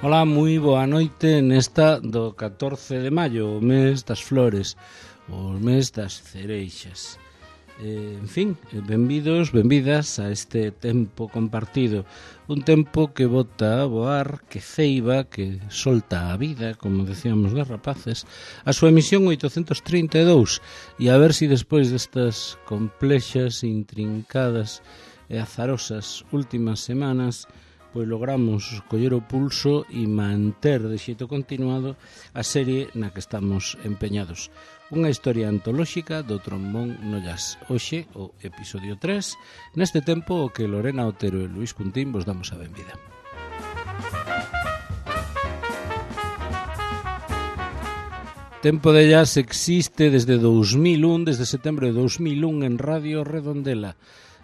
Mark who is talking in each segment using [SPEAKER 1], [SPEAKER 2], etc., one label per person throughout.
[SPEAKER 1] Ola, moi boa noite nesta do 14 de maio, o mes das flores, o mes das cereixas. En fin, benvidos, benvidas a este tempo compartido. Un tempo que bota a voar, que ceiba, que solta a vida, como decíamos de rapaces, a súa emisión 832. E a ver se despois destas complexas, intrincadas e azarosas últimas semanas pois logramos coller o pulso e manter de xeito continuado a serie na que estamos empeñados. Unha historia antolóxica do trombón no jazz. Hoxe, o episodio 3, neste tempo o que Lorena Otero e Luís Cuntín vos damos a benvida. Tempo de jazz existe desde 2001, desde setembro de 2001 en Radio Redondela.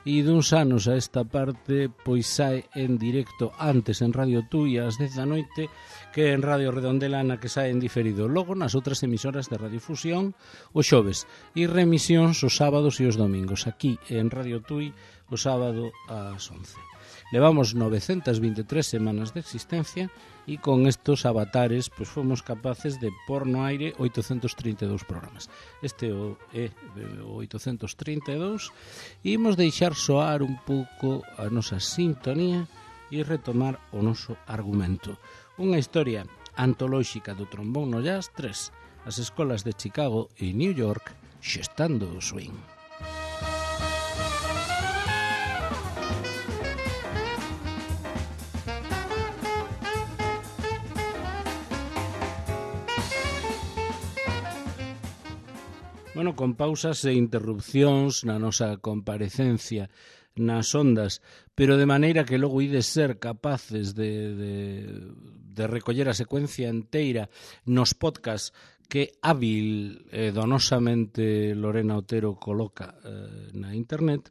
[SPEAKER 1] E duns anos a esta parte pois sae en directo antes en Radio Tui ás 10 da noite que en Radio Redondela na que sae en diferido logo nas outras emisoras de Radiofusión os xoves e remisións os sábados e os domingos aquí en Radio Tui o sábado ás 11. Levamos 923 semanas de existencia e con estos avatares pois fomos capaces de pôr no aire 832 programas. Este é o 832 e imos deixar soar un pouco a nosa sintonía e retomar o noso argumento. Unha historia antolóxica do trombón no jazz 3, as escolas de Chicago e New York xestando o swing. Bueno, con pausas e interrupcións na nosa comparecencia nas ondas, pero de maneira que logo ides ser capaces de recoller a secuencia enteira nos podcast que hábil e donosamente Lorena Otero coloca na internet,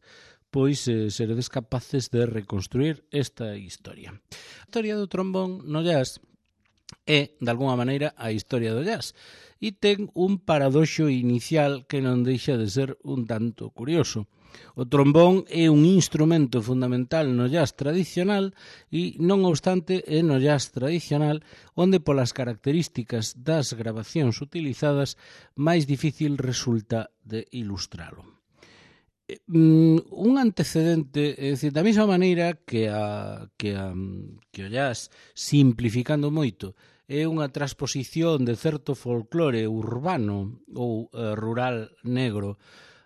[SPEAKER 1] pois seredes capaces de reconstruir esta historia. A historia do trombón no jazz é, de alguma maneira, a historia do jazz. E ten un paradoxo inicial que non deixa de ser un tanto curioso. O trombón é un instrumento fundamental no jazz tradicional e, non obstante, é no jazz tradicional onde polas características das gravacións utilizadas máis difícil resulta de ilustralo. Un antecedente, é dicir, da mesma maneira que o jazz, simplificando moito, é unha transposición de certo folclore urbano ou rural negro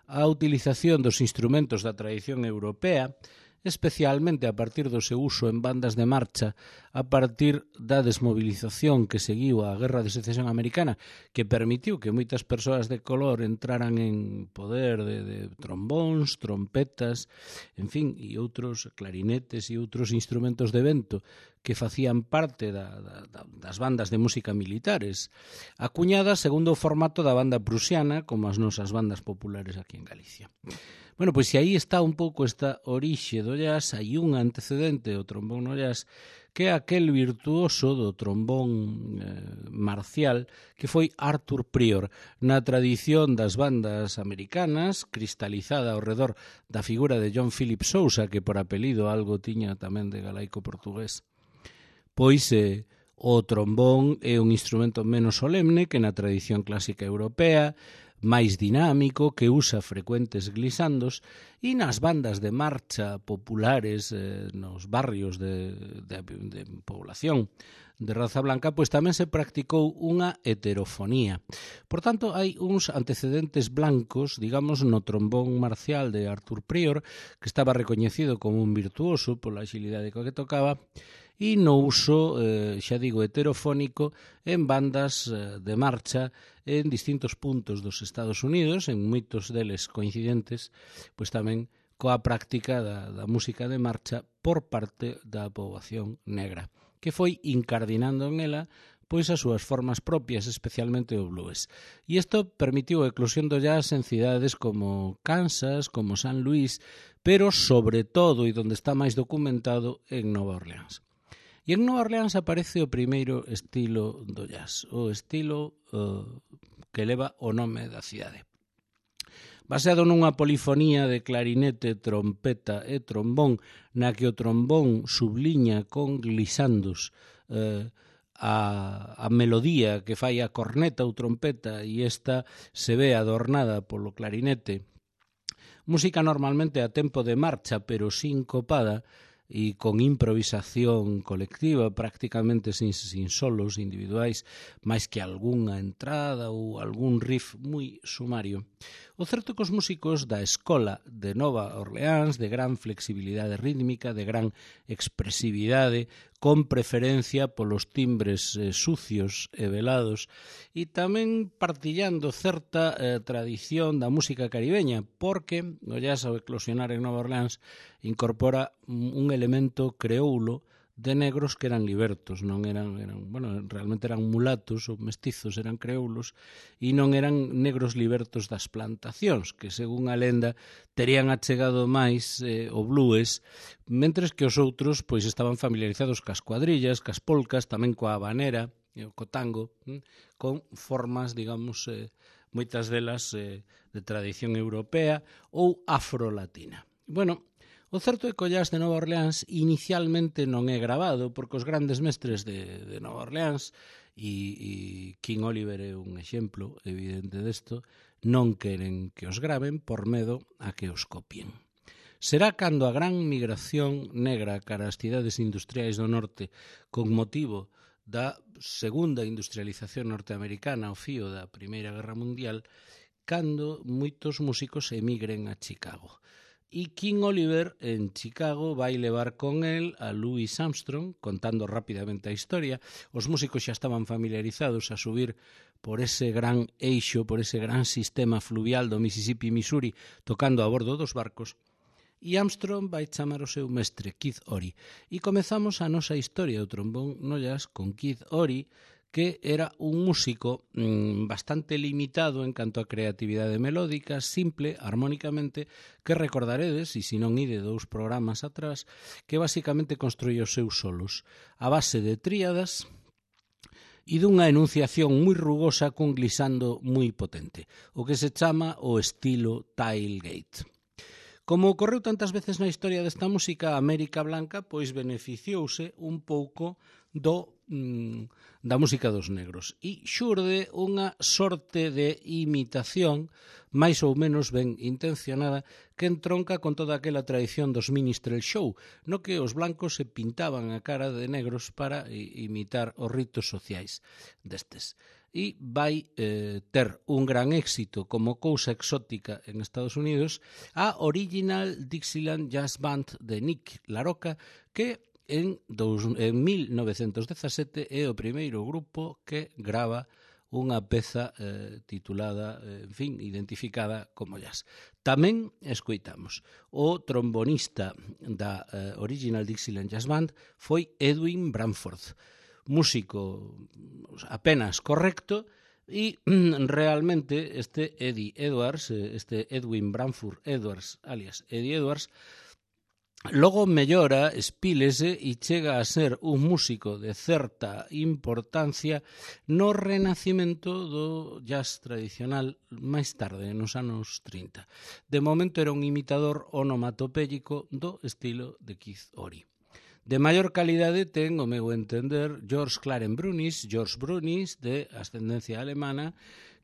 [SPEAKER 1] á utilización dos instrumentos da tradición europea, especialmente a partir do seu uso en bandas de marcha, a partir da desmovilización que seguiu a Guerra de Secesión Americana, que permitiu que moitas persoas de color entraran en poder de trombóns, trompetas, en fin, e outros clarinetes e outros instrumentos de vento que facían parte das bandas de música militares, acuñadas segundo o formato da banda prusiana, como as nosas bandas populares aquí en Galicia. Bueno, pois se aí está un pouco esta orixe do jazz, hai un antecedente do trombón no jazz, que é aquel virtuoso do trombón marcial que foi Arthur Prior, na tradición das bandas americanas, cristalizada ao redor da figura de John Philip Sousa, que por apelido algo tiña tamén de galaico portugués. Pois o trombón é un instrumento menos solemne que na tradición clásica europea, máis dinámico, que usa frecuentes glisandos e nas bandas de marcha populares nos barrios de población de raza blanca, pois tamén se practicou unha heterofonía. Por tanto, hai uns antecedentes blancos, digamos, no trombón marcial de Arthur Prior, que estaba recoñecido como un virtuoso pola axilidade coa que tocaba, e no uso, xa digo, heterofónico en bandas de marcha en distintos puntos dos Estados Unidos, en moitos deles coincidentes, pois tamén coa práctica da música de marcha por parte da poboación negra, que foi incardinando en ela pois as súas formas propias, especialmente o blues. E isto permitiu a eclosión do jazz en cidades como Kansas, como San Luis, pero sobre todo, e donde está máis documentado, en Nova Orleans. E en Nova Orleans aparece o primeiro estilo do jazz, o estilo que leva o nome da cidade. Baseado nunha polifonía de clarinete, trompeta e trombón, na que o trombón subliña con glisandos a melodía que fai a corneta ou trompeta e esta se ve adornada polo clarinete. Música normalmente a tempo de marcha, pero sincopada e con improvisación colectiva, prácticamente sin solos individuais, máis que algunha entrada ou algún riff moi sumario. O certo que os músicos da escola de Nova Orleans, de gran flexibilidade rítmica, de gran expresividade, con preferencia polos timbres sucios e velados, e tamén partillando certa tradición da música caribeña, porque o jazz ao eclosionar en Nova Orleans incorpora un elemento creoulo de negros que eran libertos, non eran realmente eran mulatos ou mestizos, eran creoulos, e non eran negros libertos das plantacións, que según a lenda terían achegado máis o blues, mentres que os outros pois estaban familiarizados cas cuadrillas, cas polcas, tamén coa habanera, co tango, con formas, digamos, moitas delas de tradición europea ou afrolatina. Bueno, o certo é que o jazz de Nova Orleans inicialmente non é grabado, porque os grandes mestres de Nova Orleans, e King Oliver é un exemplo evidente desto, non queren que os graven por medo a que os copien. Será cando a gran migración negra cara ás cidades industriais do norte, con motivo da segunda industrialización norteamericana ao fío da Primeira Guerra Mundial, cando moitos músicos emigren a Chicago. E King Oliver en Chicago vai levar con él a Louis Armstrong, contando rapidamente a historia. Os músicos xa estaban familiarizados a subir por ese gran eixo, por ese gran sistema fluvial do Mississippi-Missouri, tocando a bordo dos barcos. E Armstrong vai chamar o seu mestre, Keith Ory. E comezamos a nosa historia do trombón no jazz con Keith Ory, que era un músico bastante limitado en canto a creatividade melódica, simple, armónicamente, que recordaredes, e se non ide 2 programas atrás, que basicamente construía os seus solos a base de tríadas e dunha enunciación moi rugosa cun glissando moi potente, o que se chama o estilo tailgate. Como ocorreu tantas veces na historia desta música, a América Blanca pois beneficiouse un pouco da música dos negros e xurde unha sorte de imitación máis ou menos ben intencionada que entronca con toda aquela tradición dos minstrel show, no que os blancos se pintaban a cara de negros para imitar os ritos sociais destes. E vai ter un gran éxito como cousa exótica en Estados Unidos a Original Dixieland Jazz Band de Nick LaRocca, que en 1917 é o primeiro grupo que grava unha peza titulada, identificada como jazz. Tamén escoitamos o trombonista da Original Dixieland Jazz Band foi Edwin Branford, músico apenas correcto, e realmente este Eddie Edwards, este Edwin Branford Edwards, alias Eddie Edwards, logo mellora, espílese e chega a ser un músico de certa importancia no renacimento do jazz tradicional máis tarde, nos anos 30. De momento era un imitador onomatopéyico do estilo de Keith Ory. De maior calidade ten, o meu entender, George Brunis, de ascendencia alemana,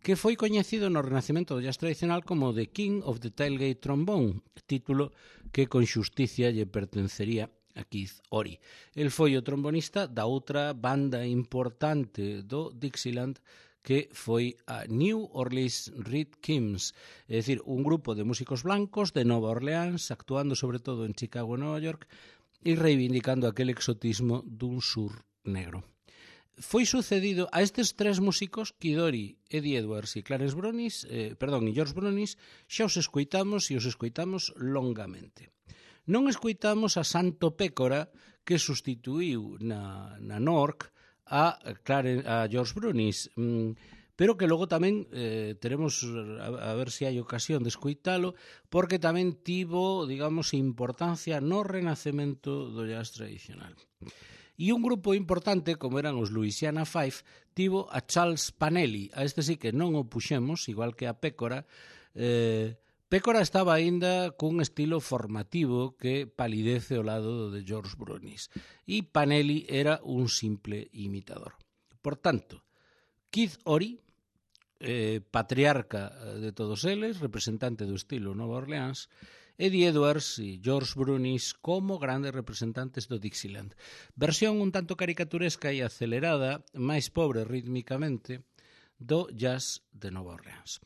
[SPEAKER 1] que foi coñecido no renacimento do jazz tradicional como The King of the Tailgate Trombone, título que con xusticia lle pertencería a Keith Ory. El foi o trombonista da outra banda importante do Dixieland, que foi a New Orleans Red Kims, é dicir, un grupo de músicos blancos de Nova Orleans, actuando sobre todo en Chicago e Nova York, e reivindicando aquel exotismo dun sur negro. Foi sucedido a estes 3 músicos, Keith Ory, Eddie Edwards e George Brunis, xa os escoitamos e os escoitamos longamente. Non escoitamos a Santo Pécora, que sustituíu na NORC a George Brunis, pero que logo tamén teremos a ver se hai ocasión de escoitalo, porque tamén tivo, digamos, importancia no renacemento do jazz tradicional. E un grupo importante, como eran os Louisiana Five, tivo a Charles Panelli. A este sí que non o puxemos, igual que a Pécora, Pécora estaba aínda cun estilo formativo que palidece ao lado de George Brunis e Panelli era un simple imitador. Por tanto, Keith Ory, patriarca de todos eles, representante do estilo Nova Orleans, Eddie Edwards e George Brunis como grandes representantes do Dixieland. Versión un tanto caricaturesca e acelerada, máis pobre rítmicamente, do jazz de Nova Orleans.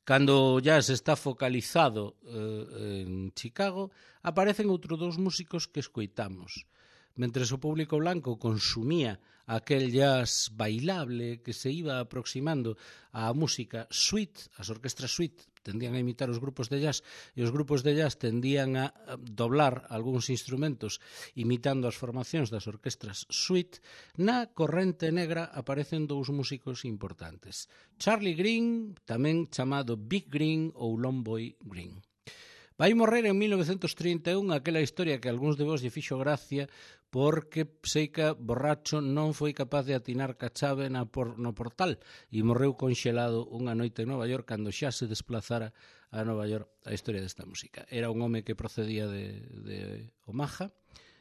[SPEAKER 1] Cando o jazz está focalizado en Chicago, aparecen outros dous músicos que escoitamos. Mentres o público blanco consumía aquel jazz bailable que se iba aproximando á música suite, as orquestras suite tendían a imitar os grupos de jazz e os grupos de jazz tendían a doblar algúns instrumentos imitando as formacións das orquestras suite, na corrente negra aparecen dous músicos importantes. Charlie Green, tamén chamado Big Green ou Longboy Green. Vai morrer en 1931 aquela historia que a algúns de vos lle fixo gracia porque Seica, borracho, non foi capaz de atinar ca chave no portal e morreu conxelado unha noite en Nova York cando xa se desplazara a Nova York a historia desta música. Era un home que procedía de Omaha,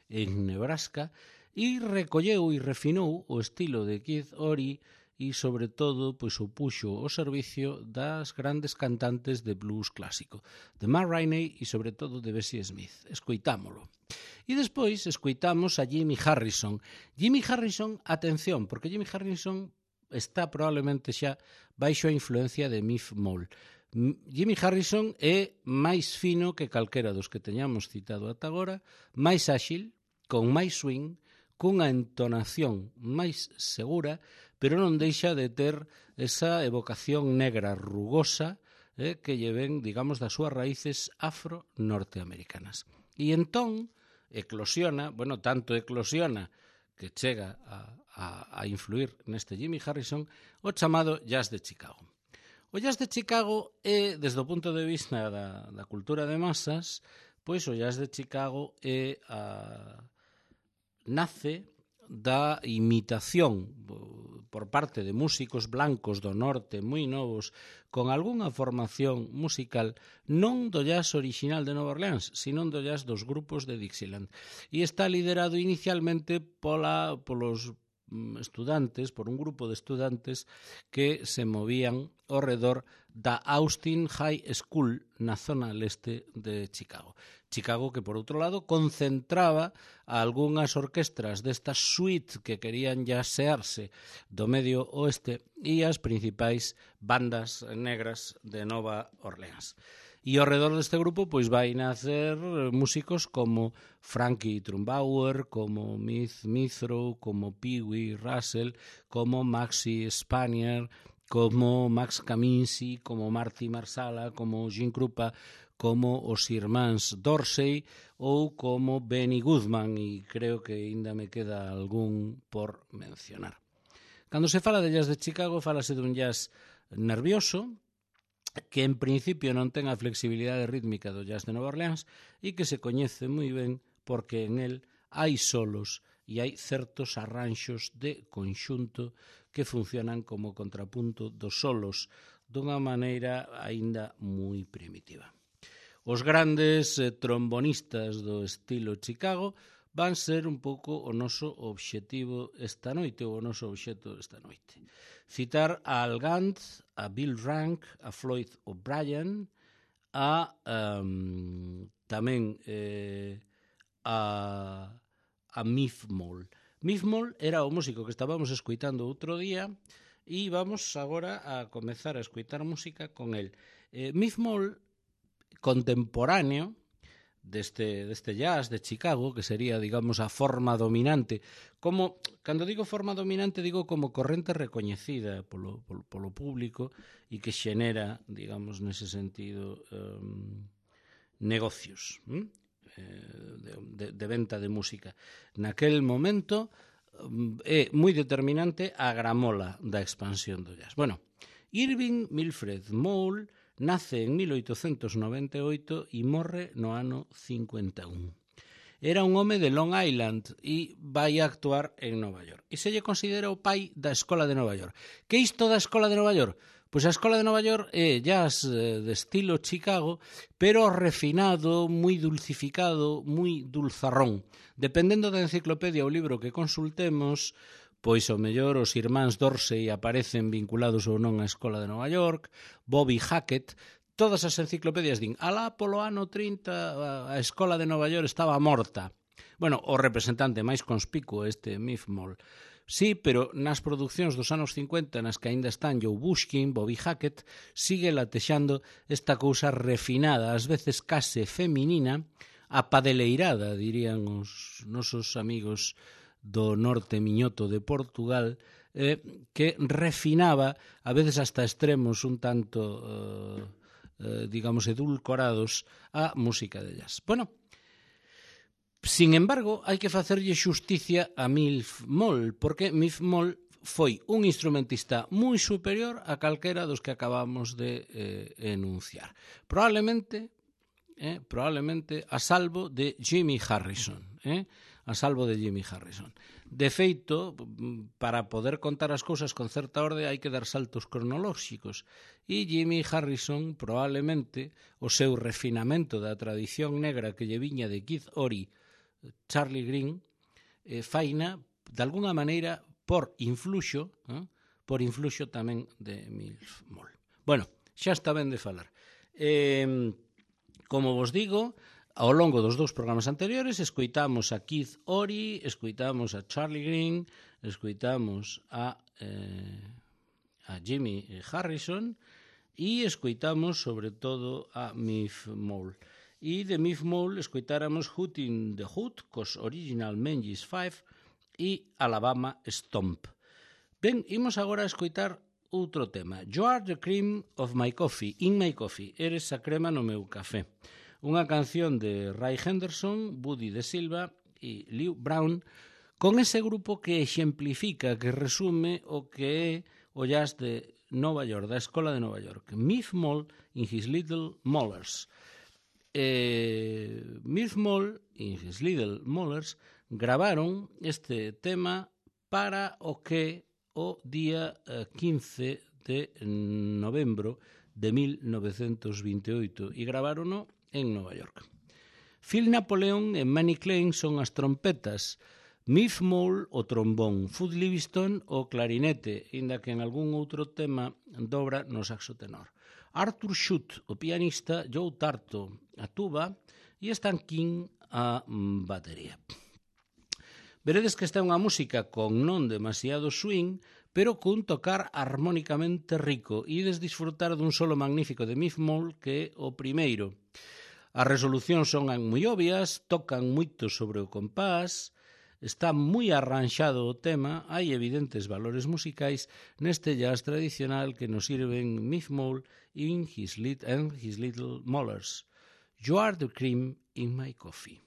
[SPEAKER 1] en Nebraska, e recolleu e refinou o estilo de Keith Ory e, sobre todo, pois o puxo ao servicio das grandes cantantes de blues clásico, de Ma Rainey e, sobre todo, de Bessie Smith. Escoitámolo. E despois escoitamos a Jimmy Harrison. Jimmy Harrison, atención, porque Jimmy Harrison está probablemente xa baixo a influencia de Miff Mole. Jimmy Harrison é máis fino que calquera dos que teñamos citado ata agora, máis áxil, con máis swing, cunha entonación máis segura, pero non deixa de ter esa evocación negra rugosa que lle ven, digamos, das súas raíces afro-norteamericanas. E entón eclosiona, bueno, tanto eclosiona que chega a influir neste Jimmy Harrison, o chamado jazz de Chicago. O jazz de Chicago é, desde o punto de vista da cultura de masas, pois o jazz de Chicago é nace da imitación por parte de músicos blancos do norte moi novos con algunha formación musical non do jazz original de Nova Orleans, sino do jazz dos grupos de Dixieland. E está liderado inicialmente polos estudantes, por un grupo de estudantes que se movían ao redor da Austin High School na zona leste de Chicago. Chicago que, por outro lado, concentraba a algunhas orquestras destas suite que querían jasearse do medio oeste e as principais bandas negras de Nova Orleans. E ao redor deste grupo pois vai nacer músicos como Frankie Trumbauer, como Miz Mithrow, como Pee Wee Russell, como Maxie Spanier, como Max Kaminsky, como Marty Marsala, como Gene Krupa, como os irmáns Dorsey ou como Benny Goodman, e creo que ainda me queda algún por mencionar. Cando se fala de jazz de Chicago, fálase dun jazz nervioso, que en principio non ten a flexibilidade rítmica do jazz de Nova Orleans e que se coñece moi ben porque en el hai solos e hai certos arranxos de conxunto que funcionan como contrapunto dos solos dunha maneira aínda moi primitiva. Os grandes trombonistas do estilo Chicago van ser un pouco o noso obxectivo esta noite, ou o noso obxecto esta noite. Citar a Al Gant, a Bill Rank, a Floyd O'Brien, tamén a Miff Mole. Miff Mole era o músico que estábamos escoitando outro día e vamos agora a comezar a escoitar música con el. Miff Mole, contemporáneo deste jazz de Chicago, que sería, digamos, a forma dominante. Como, cando digo forma dominante, digo como corrente recoñecida polo público e que xenera, digamos, nese sentido, negocios de venta de música. Naquel momento é moi determinante a gramola da expansión do jazz. Bueno, Irving Milfred Mole nace en 1898 e morre no ano 51. Era un home de Long Island e vai a actuar en Nova York. E se lle considera o pai da Escola de Nova York. Que isto da Escola de Nova York? Pois a Escola de Nova York é jazz de estilo Chicago, pero refinado, moi dulcificado, moi dulzarrón. Dependendo da enciclopedia ou libro que consultemos, pois ao mellor os irmáns Dorsey aparecen vinculados ou non á Escola de Nova York, Bobby Hackett, todas as enciclopedias din, alá polo ano 30 a Escola de Nova York estaba morta. Bueno, o representante máis conspicuo este Miff Moll. Sí, pero nas producións dos anos 50 nas que aínda están Joe Bushkin, Bobby Hackett, sigue latexando esta cousa refinada, ás veces case feminina, apadeleirada, dirían os nosos amigos do norte miñoto de Portugal, que refinaba, a veces hasta extremos un tanto, digamos, edulcorados, a música de jazz. Bueno, sin embargo, hai que facerlle xusticia a Miff Moll, porque Miff Moll foi un instrumentista moi superior a calquera dos que acabamos de enunciar. Probablemente a salvo de Jimmy Harrison. A salvo de Jimmy Harrison. De feito, para poder contar as cousas con certa orde hai que dar saltos cronolóxicos. E Jimmy Harrison, probablemente, o seu refinamento da tradición negra que lle viña de Keith Ory, Charlie Green, faina, de alguna maneira, por influxo tamén de Miff Moll. Bueno, xa está ben de falar. Como vos digo, ao longo dos dous programas anteriores, escoitamos a Keith Ory, escoitamos a Charlie Green, escoitamos a Jimmy Harrison e escoitamos, sobre todo, a Miff Moll. E de Miff Moll escoitáramos Hoot in the Hood, cos Original Menzies 5 e Alabama Stomp. Ben, imos agora a escoitar outro tema. You are the cream of my coffee, in my coffee. Eres a crema no meu café. Unha canción de Ray Henderson, Buddy de Silva e Lew Brown, con ese grupo que exemplifica, que resume o que é o jazz de Nova York, da Escola de Nova York. Miff Moll in his Little Mollers. Miff Moll e his Little Mollers gravaron este tema para o que o día 15 de novembro de 1928 e gravarono en Nova York. Phil Napoleon e Manny Klein son as trompetas, Miff Moll o trombón, Food Livingston o clarinete, inda que en algún outro tema dobra no saxo tenor. Arthur Schutt, o pianista, Joe Tarto, a tuba, e Stan King, a batería. Veredes que esta é unha música con non demasiado swing, pero cun tocar armónicamente rico, e ides disfrutar dun solo magnífico de Miff Moll, que é o primeiro. As resolucións son moi obvias, tocan moito sobre o compás, está moi arranxado o tema, hai evidentes valores musicais neste jazz tradicional que nos sirven Miff Moll and his Little Mollers. You are the cream in my coffee.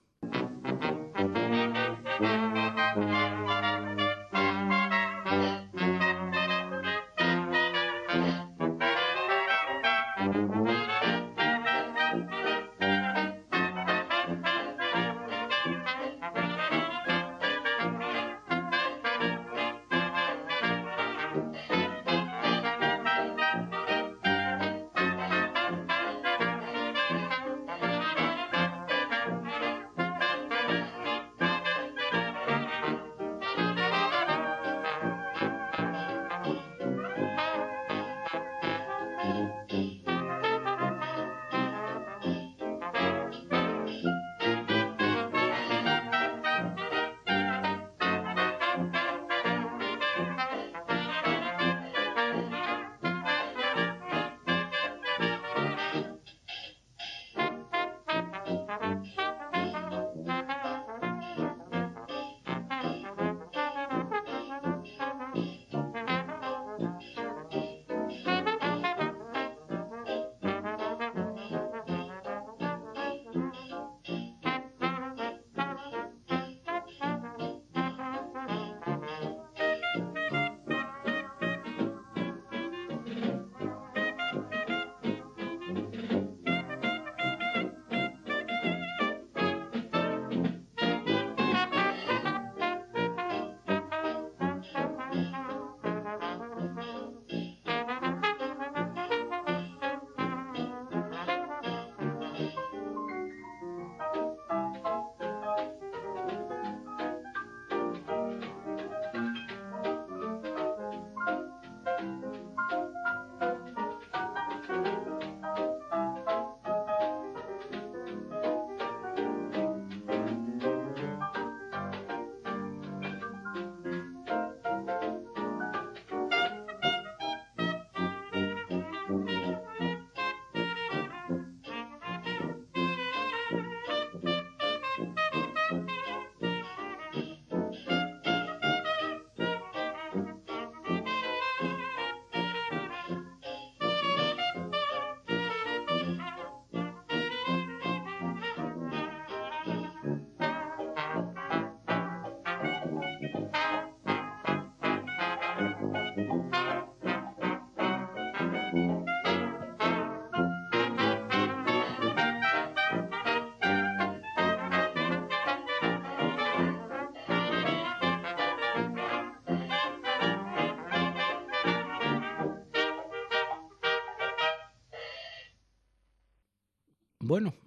[SPEAKER 1] Bueno,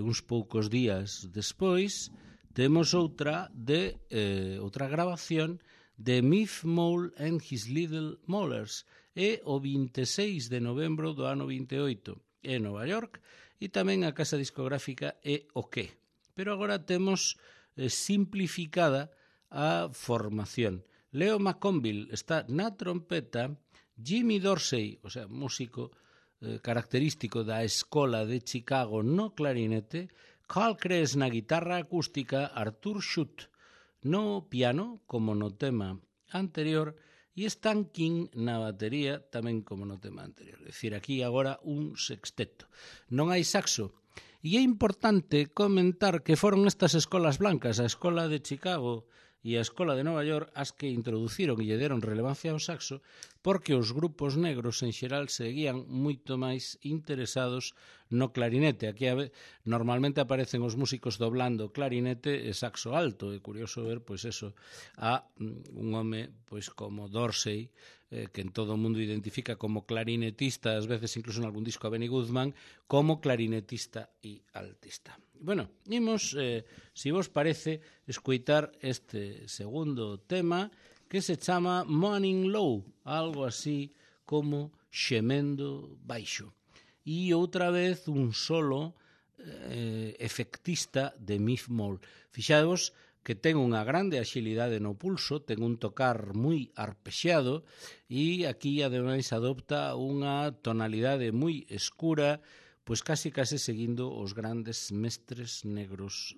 [SPEAKER 1] uns poucos días despois temos outra grabación de Miff Mole and His Little Molars, e o 26 de novembro do ano 28 en Nova York, e tamén a casa discográfica é o que. Pero agora temos simplificada a formación. Leo McConville está na trompeta, Jimmy Dorsey, o sea, músico característico da Escola de Chicago no clarinete, Carl Kress na guitarra acústica, Arthur Schutt no piano, como no tema anterior, e Stan King na batería, tamén como no tema anterior. É dicir, aquí agora un sexteto. Non hai saxo. E é importante comentar que foron estas escolas blancas, a Escola de Chicago e a Escola de Nova York, as que introduciron e lle deron relevancia ao saxo, porque os grupos negros en xeral seguían moito máis interesados no clarinete. Aquí normalmente aparecen os músicos doblando clarinete e saxo alto. É curioso ver, pois eso, a un home pois como Dorsey, que en todo o mundo identifica como clarinetista, ás veces incluso en algún disco a Benny Goodman, como clarinetista e altista. Bueno, imos, se vos parece, escoitar este segundo tema que se chama Morning Low, algo así como xemendo baixo. E outra vez un solo efectista de Miff Mole. Fixadevos que ten unha grande axilidade no pulso, ten un tocar moi arpexeado e aquí ademais adopta unha tonalidade moi escura, pois casi seguindo os grandes mestres negros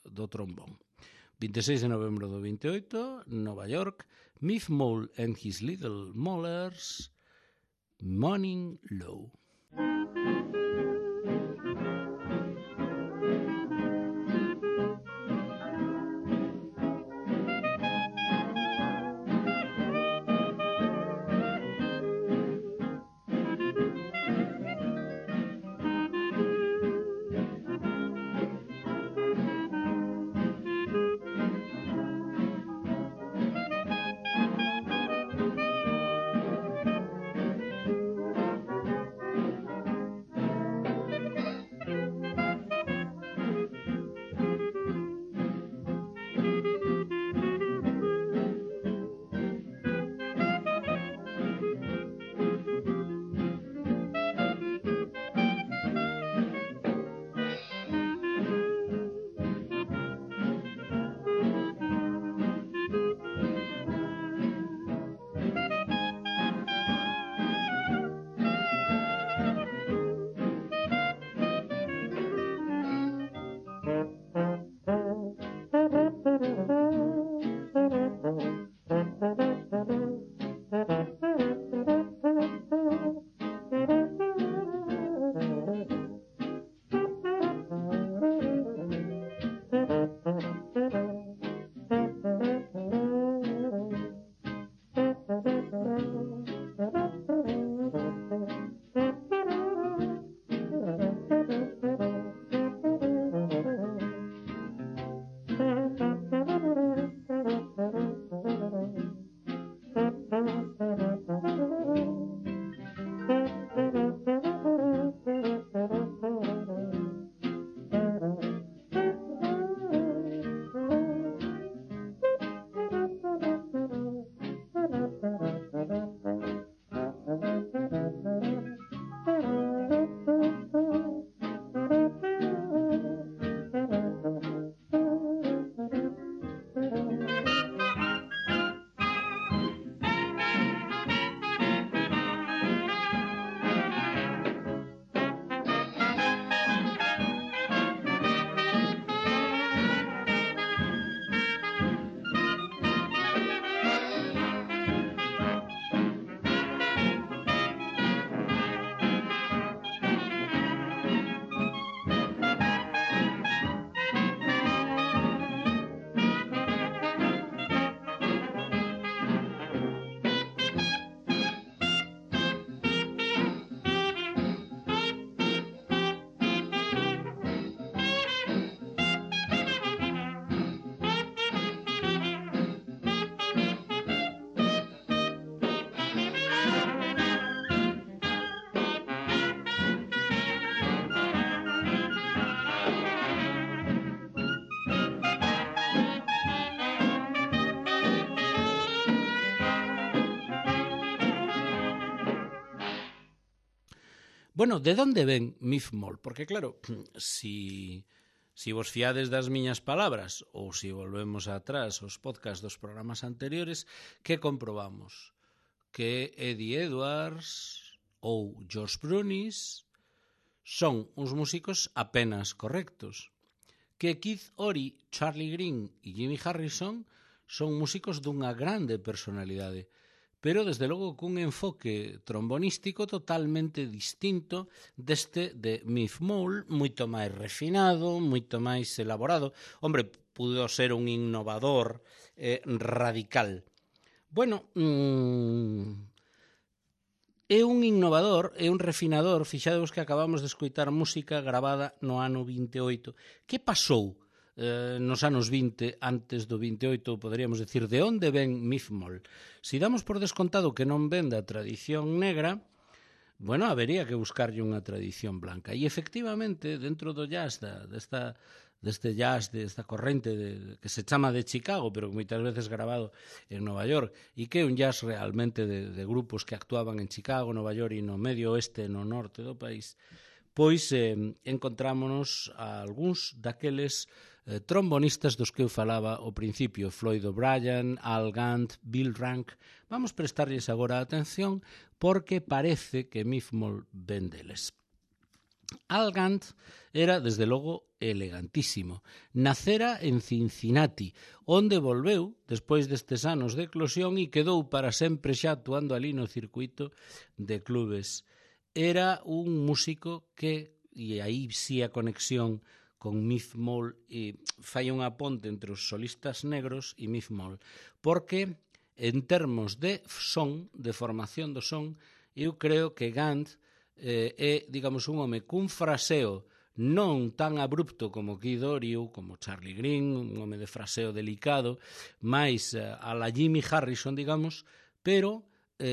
[SPEAKER 1] do trombón. 26 de novembro do 28, Nova York, Miff Mole and His Little Molars, Morning Low. Bueno, de onde ven Miff Moll? Porque claro, si vos fiades das miñas palabras ou si volvemos atrás aos podcast dos programas anteriores, que comprobamos? Que Eddie Edwards ou George Brunis son uns músicos apenas correctos. Que Keith Ory, Charlie Green e Jimmy Harrison son músicos dunha grande personalidade, pero desde logo cun enfoque trombonístico totalmente distinto deste de Miff Moll, moito máis refinado, moito máis elaborado. Hombre, pudo ser un innovador radical. Bueno, é un innovador, é un refinador. Fixadevos que acabamos de escoitar música gravada no ano 28. Que pasou nos anos 20, antes do 28, poderíamos decir, de onde ven Miff Moll? Si damos por descontado que non ven da tradición negra, bueno, habería que buscarlle unha tradición blanca. E efectivamente, dentro do jazz, deste jazz, desta corrente que se chama de Chicago, pero que moitas veces grabado en Nova York, e que é un jazz realmente de grupos que actuaban en Chicago, Nova York e no medio oeste, no norte do país, pois encontrámonos a algúns daqueles trombonistas dos que eu falaba ao principio, Floyd O'Brien, Al Gant, Bill Rank. Vamos prestarlles agora atención porque parece que Miff Moll ven deles. Al Gant era, desde logo, elegantísimo. Nacera en Cincinnati, onde volveu despois destes anos de eclosión e quedou para sempre xa actuando ali no circuito de clubes. Era un músico que, e aí sí a conexión con Miff Moll, e fai unha ponte entre os solistas negros e Miff Moll, porque en termos de son, de formación do son, eu creo que Gant é, digamos, un home cun fraseo non tan abrupto como Keith Ory ou como Charlie Green, un home de fraseo delicado, máis a la Jimmy Harrison, digamos, pero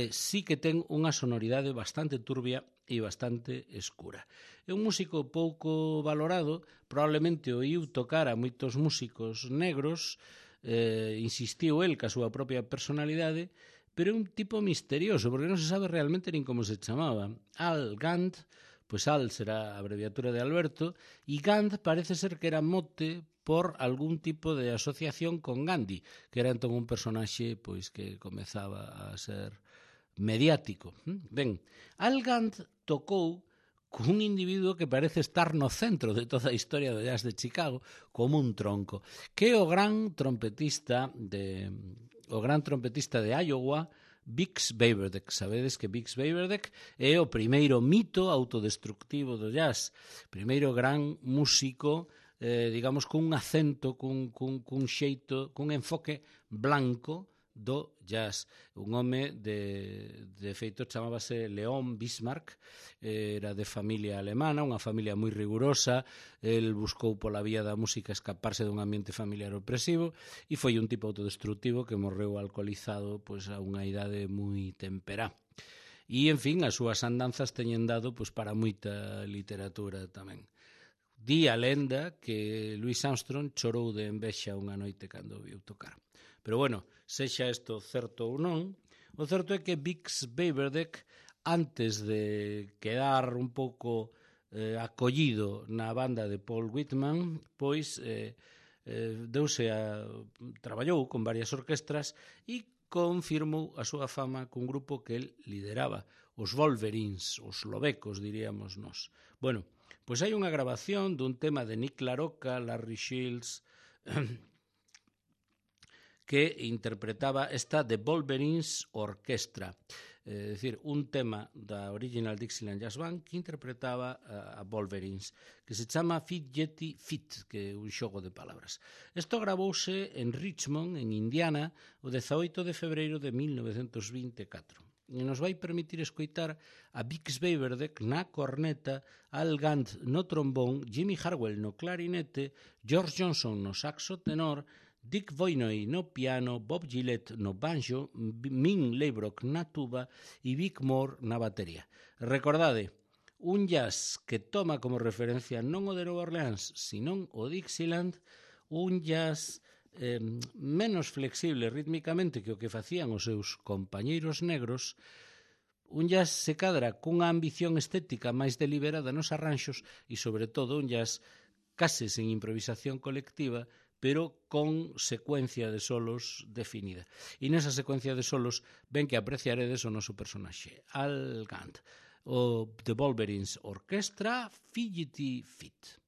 [SPEAKER 1] sí que ten unha sonoridade bastante turbia e bastante escura. É un músico pouco valorado, probablemente oíu tocar a moitos músicos negros, insistiu el ca súa propia personalidade, pero é un tipo misterioso, porque non se sabe realmente nin como se chamaba. Al Gant, pois Al será a abreviatura de Alberto, e Gant parece ser que era mote por algún tipo de asociación con Gandhi, que era entón un personaxe pois que comezaba a ser mediático. Ben, Al Gant tocou cun individuo que parece estar no centro de toda a historia do jazz de Chicago, como un tronco, que é o gran trompetista de Iowa, Bix Beiderbecke. Sabedes que Bix Beiderbecke é o primeiro mito autodestructivo do jazz, primeiro gran músico, digamos, cun acento, cun xeito, cun enfoque blanco do jazz. Un home de feito chamábase Leon Bismarck, era de familia alemana, unha familia moi rigurosa. El buscou pola vía da música escaparse dun ambiente familiar opresivo e foi un tipo autodestructivo que morreu alcoholizado pois a unha idade moi temperá. E, en fin, as súas andanzas teñen dado pois para moita literatura tamén. Di a lenda que Louis Armstrong chorou de envexa unha noite cando o viu tocar. Pero bueno, sexa isto certo ou non, o certo é que Bix Beiderbecke, antes de quedar un pouco acollido na banda de Paul Whitman, pois traballou con varias orquestras e confirmou a súa fama cun grupo que el lideraba, os Wolverines, os lobecos, diríamos nós. Bueno, pois hai unha grabación dun tema de Nick LaRocca, Larry Shields, que interpretaba esta The Wolverines Orchestra, é dicir, un tema da Original Dixieland Jazz Band que interpretaba a Wolverines, que se chama Fit Yeti Fit, que é un xogo de palabras. Isto gravouse en Richmond, en Indiana, o 18 de febreiro de 1924. E nos vai permitir escoitar a Bix Beiderbecke na corneta, Al Gant no trombón, Jimmy Harwell no clarinete, George Johnson no saxo tenor, Dick Voynoi no piano, Bob Gillette no banjo, Min Leibrock na tuba e Vic Moore na batería. Recordade, un jazz que toma como referencia non o de Nova Orleans, senón o Dixieland, un jazz menos flexible rítmicamente que o que facían os seus compañeiros negros, un jazz se cadra cunha ambición estética máis deliberada nos arranxos e, sobre todo, un jazz case sen improvisación colectiva, pero con secuencia de solos definida. E nesa secuencia de solos ven que apreciaredes o noso personaxe, Al Gant, o The Wolverines Orchestra, Fidgety Feet.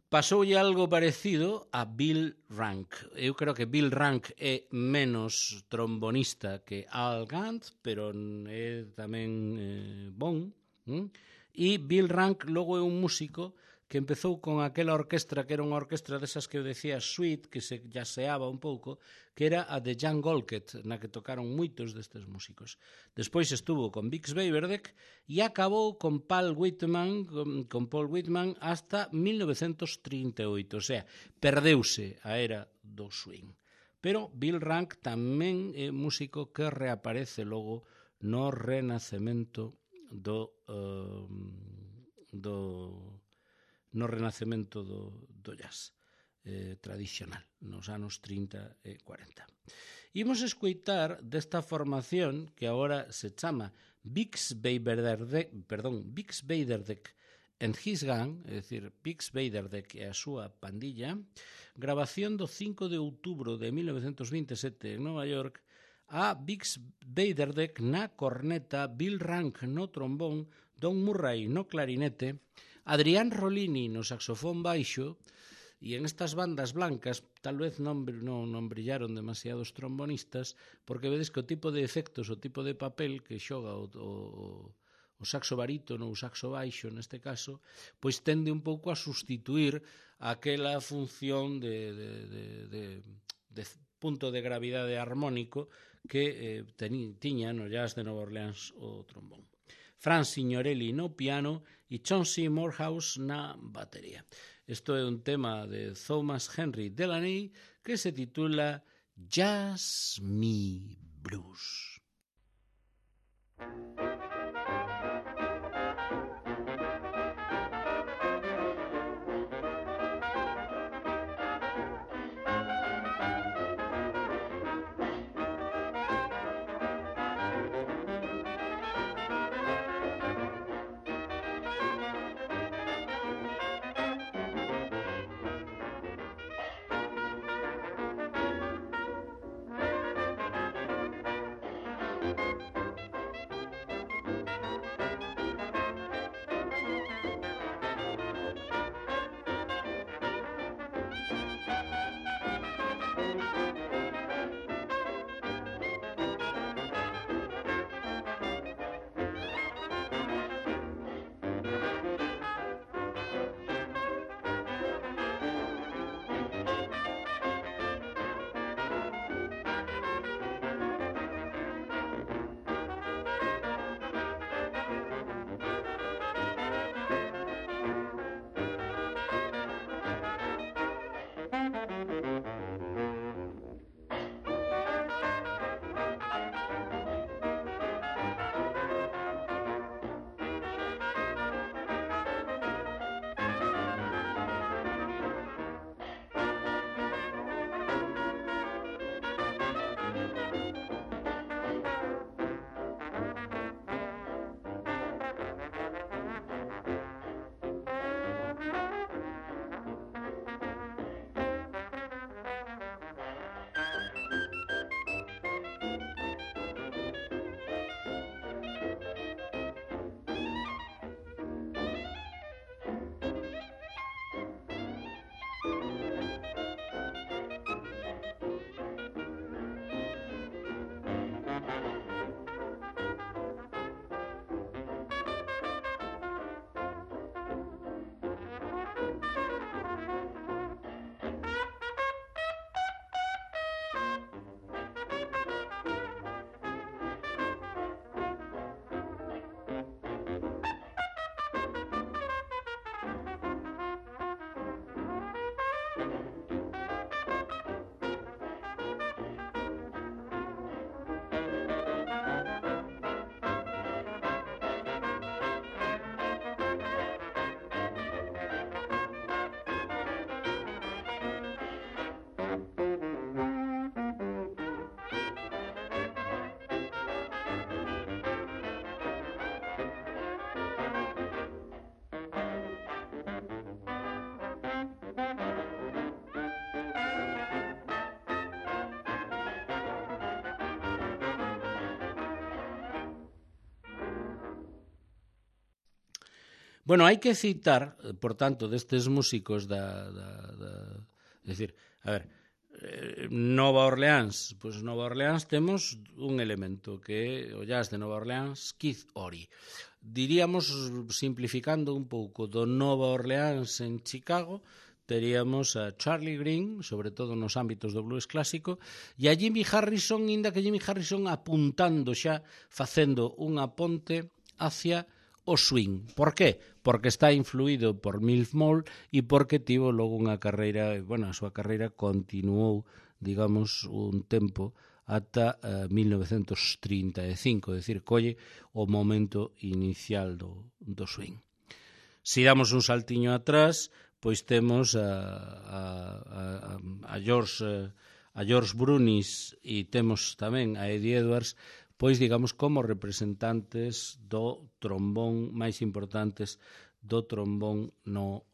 [SPEAKER 1] Pasoulle algo parecido a Bill Rank. Eu creo que Bill Rank é menos trombonista que Al Gant, pero é tamén bon. E Bill Rank logo é un músico que empezou con aquela orquestra que era unha orquestra desas que eu decía Sweet, que se jaseaba un pouco, que era a de Jan Golket, na que tocaron moitos destes músicos. Despois estuvo con Bix Beiderbecke e acabou con Paul Whitman hasta 1938, o sea, perdeuse a era do swing. Pero Bill Rank tamén é músico que reaparece logo no renacemento do jazz tradicional, nos anos 30 e 40. Imos escoitar desta formación que agora se chama Bix Beiderbecke and His Gang, é dicir, Bix Beiderbecke e a súa pandilla, grabación do 5 de outubro de 1927 en Nova York, a Bix Beiderbecke na corneta, Bill Rank no trombón, Don Murray no clarinete, Adrián Rollini no saxofón baixo, e en estas bandas blancas tal vez non brillaron demasiados trombonistas, porque vedes que o tipo de efectos, o tipo de papel que xoga o saxo barítono ou saxo baixo neste caso, pois tende un pouco a sustituir aquela función de punto de gravidade armónico que tiña no jazz de Nova Orleans o trombón. Franz Signorelli no piano e Chauncey Morehouse na batería. Isto é un tema de Thomas Henry Delaney que se titula Jazz Me Blues. Bueno, hai que citar, por tanto, destes músicos é dicir, a ver, Nova Orleans, pois Nova Orleans temos un elemento que é o jazz de Nova Orleans, Keith Ory. Diríamos, simplificando un pouco, do Nova Orleans en Chicago, teríamos a Charlie Green, sobre todo nos ámbitos do blues clásico, e a Jimmy Harrison, inda que Jimmy Harrison apuntando xa, facendo unha ponte hacia o swing. Por qué? Porque está influído por Milf Mole e porque tivo logo unha carreira, bueno, a súa carreira continuou, digamos, un tempo ata 1935, é dicir, colle o momento inicial do swing. Se damos un saltiño atrás, pois temos a George Brunis e temos tamén a Eddie Edwards, pois, digamos, como representantes do trombón máis importantes do trombón no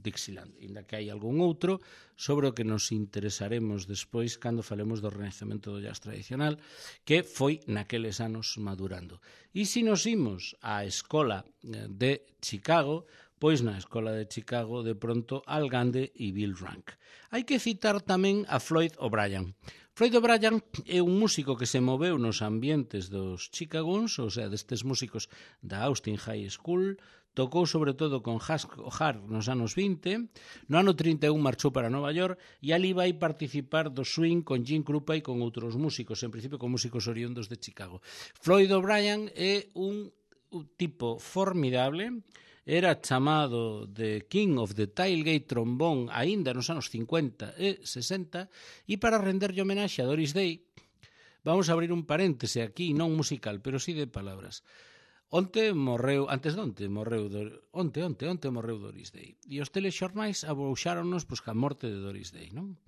[SPEAKER 1] Dixieland. Ainda que hai algún outro sobre o que nos interesaremos despois cando falemos do renacemento do jazz tradicional, que foi naqueles anos madurando. E se nos imos á escola de Chicago, pois na escola de Chicago, de pronto, Al Gande e Bill Rank. Hai que citar tamén a Floyd O'Brien. Floyd O'Brien é un músico que se moveu nos ambientes dos Chicagons, ou sea, destes músicos da Austin High School, tocou sobre todo con Hush O'Hare nos anos 20, no ano 31 marchou para Nova York e ali vai participar do swing con Jim Krupa e con outros músicos, en principio con músicos oriundos de Chicago. Floyd O'Brien é un tipo formidable, era chamado The King of the Tailgate Trombone aínda nos anos 50 e 60, e para renderlle homenaxe a Doris Day, vamos a abrir un paréntese aquí, non musical, pero sí de palabras. Onte morreu Doris Day, e os telexornais abouxáronnos pois ca morte de Doris Day, non?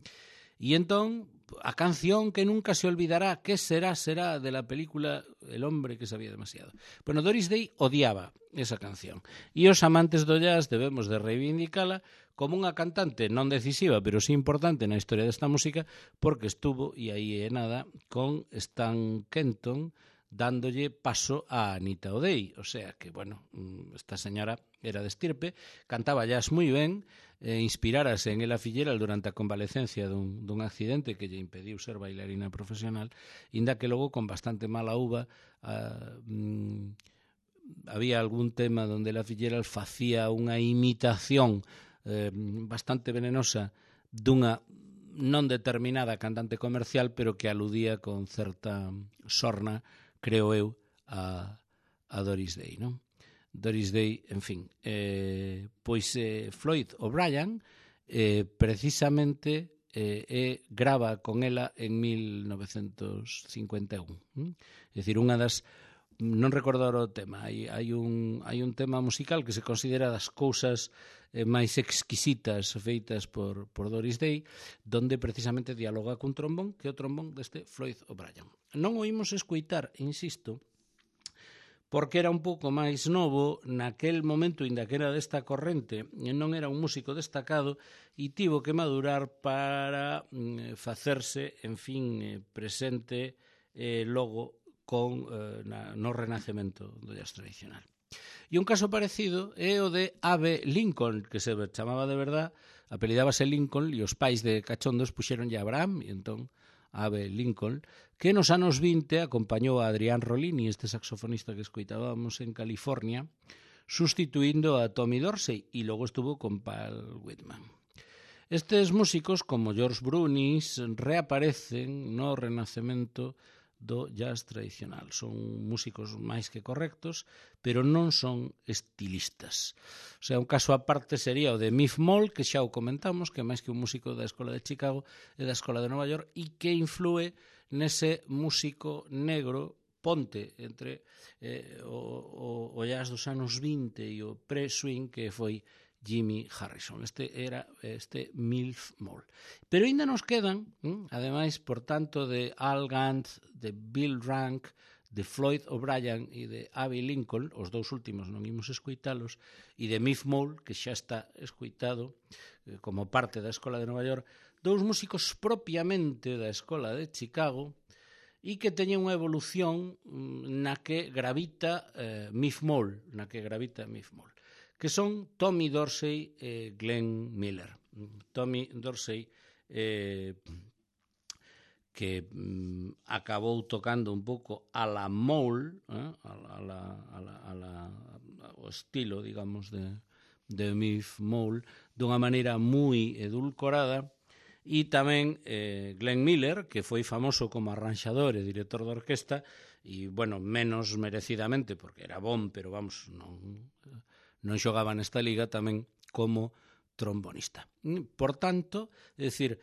[SPEAKER 1] E entón, a canción que nunca se olvidará, que será de la película El hombre que sabía demasiado. Bueno, Doris Day odiaba esa canción. E os amantes do jazz debemos de reivindicala como unha cantante non decisiva, pero sí importante na historia desta música, porque estuvo, e aí é nada, con Stan Kenton dándolle paso a Anita O'Day. O sea que, bueno, esta señora era de estirpe, cantaba jazz moi ben, inspirárase en Ella Fitzgerald durante a convalecencia dun accidente que lle impediu ser bailarina profesional, inda que logo con bastante mala uva había algún tema donde Ella Fitzgerald facía unha imitación bastante venenosa dunha non determinada cantante comercial, pero que aludía con certa sorna, creo eu, a Doris Day, non? Doris Day, en fin, pois Floyd O'Brien precisamente grava con ela en 1951. É dicir, unha das, non recordo o tema, hai un tema musical que se considera das cousas máis exquisitas feitas por Doris Day, donde precisamente dialoga cun trombón, que é o trombón deste Floyd O'Brien. Non oímos escoitar, insisto, porque era un pouco máis novo, naquel momento, inda que era desta corrente, non era un músico destacado e tivo que madurar para facerse, en fin, presente logo no renacemento do jazz tradicional. E un caso parecido é o de Abe Lincoln, que se chamaba de verdad, apelidábase Lincoln, e os pais de cachondos puxeronlle Abraham, e entón Abe Lincoln, que nos anos 20 acompañou a Adrián Rollini, este saxofonista que escoitábamos en California, sustituindo a Tommy Dorsey, e logo estuvo con Paul Whitman. Estes músicos, como George Brunis, reaparecen no renacemento do jazz tradicional. Son músicos máis que correctos, pero non son estilistas. O sea, un caso aparte sería o de Miff Moll, que xa o comentamos, que máis que un músico da Escola de Chicago e da Escola de Nova York, e que influe nese músico negro ponte entre o jazz dos anos 20 e o pre-swing que foi Jimmy Harrison. Este era Miff Moll. Pero ainda nos quedan, ademais, por tanto, de Al Gant, de Bill Rank, de Floyd O'Brien e de Abe Lincoln, os dous últimos non imos escoitalos, e de Miff Moll, que xa está escoitado como parte da Escola de Nova York, dous músicos propiamente da Escola de Chicago e que teñen unha evolución na que gravita Miff Moll, que son Tommy Dorsey e Glenn Miller. Tommy Dorsey que acabou tocando un pouco a la Moll, o estilo, digamos, de Miff Moll, dunha maneira moi edulcorada, e tamén Glenn Miller, que foi famoso como arranxador e director de orquesta, e, bueno, menos merecidamente, porque era bon, pero, vamos, non xogaba nesta liga, tamén como trombonista. Por tanto, é dicir,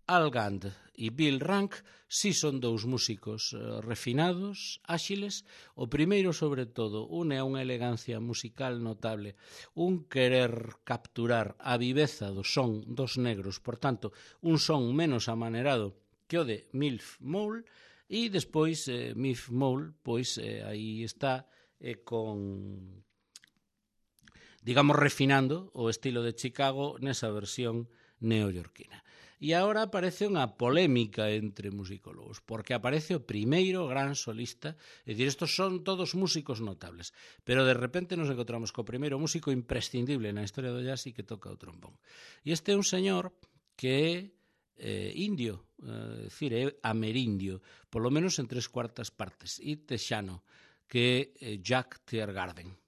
[SPEAKER 1] Al Gant e Bill Rank si son dous músicos refinados, áxiles. O primeiro, sobre todo, une a unha elegancia musical notable, un querer capturar a viveza do son dos negros, por tanto, un son menos amanerado que o de Miff Moll, e despois Miff Moll, pois aí está con, digamos, refinando o estilo de Chicago nesa versión neoyorquina. E agora aparece unha polémica entre musicólogos, porque aparece o primeiro gran solista, é dicir, estos son todos músicos notables, pero de repente nos encontramos co primeiro músico imprescindible na historia do jazz e que toca o trombón. E este é un señor que é indio, é dicir, é amerindio, polo menos en 3/4 partes, e texano, que é Jack Teargarden.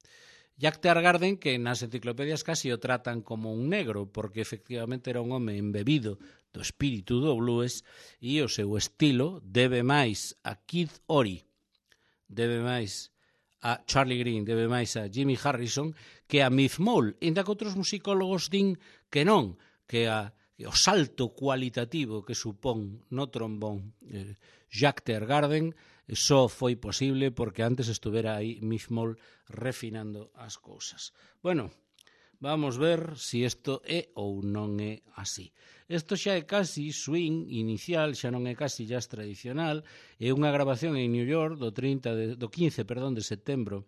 [SPEAKER 1] Jack Teargarden, que nas enciclopedias casi o tratan como un negro, porque efectivamente era un home embebido do espírito do blues, e o seu estilo debe máis a Kid Ory, debe máis a Charlie Green, debe máis a Jimmy Harrison que a Miff Moll, ainda que outros musicólogos din que non, que o salto cualitativo que supón no trombón Jack Teargarden só foi posible porque antes estuvera aí Miff Moll refinando as cousas. Bueno, vamos ver se isto é ou non é así. Isto xa é casi swing inicial, xa non é casi jazz tradicional, é unha grabación en New York do 15 de setembro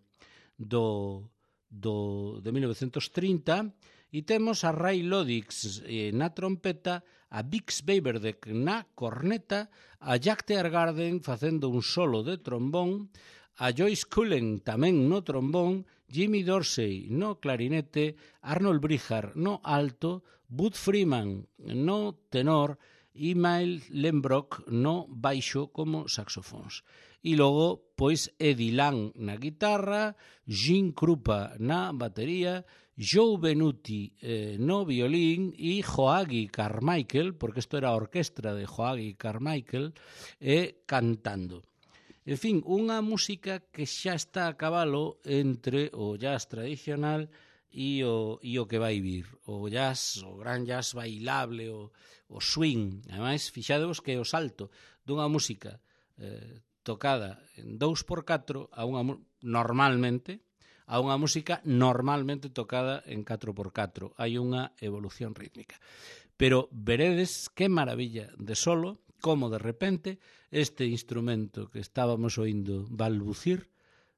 [SPEAKER 1] de 1930, E temos a Ray Lodix na trompeta, a Bix Beiderbecke na corneta, a Jack Teargarden facendo un solo de trombón, a Joyce Cullen tamén no trombón, Jimmy Dorsey no clarinete, Arnold Brijar no alto, Bud Freeman no tenor e Miles Lembrock no baixo como saxofóns. E logo, pois, Eddie Lang na guitarra, Gene Krupa na batería, Joe Benuti no violín e Joachim Carmichael, porque isto era a orquestra de Joachim Carmichael, cantando. En fin, unha música que xa está a cabalo entre o jazz tradicional e o que vai vir. O jazz, o gran jazz bailable, o swing. Ademais, fixadevos que é o salto dunha música tocada en 2x4 normalmente a unha música normalmente tocada en 4x4. Hai unha evolución rítmica. Pero veredes que maravilla de solo, como de repente este instrumento que estábamos oindo balbucir,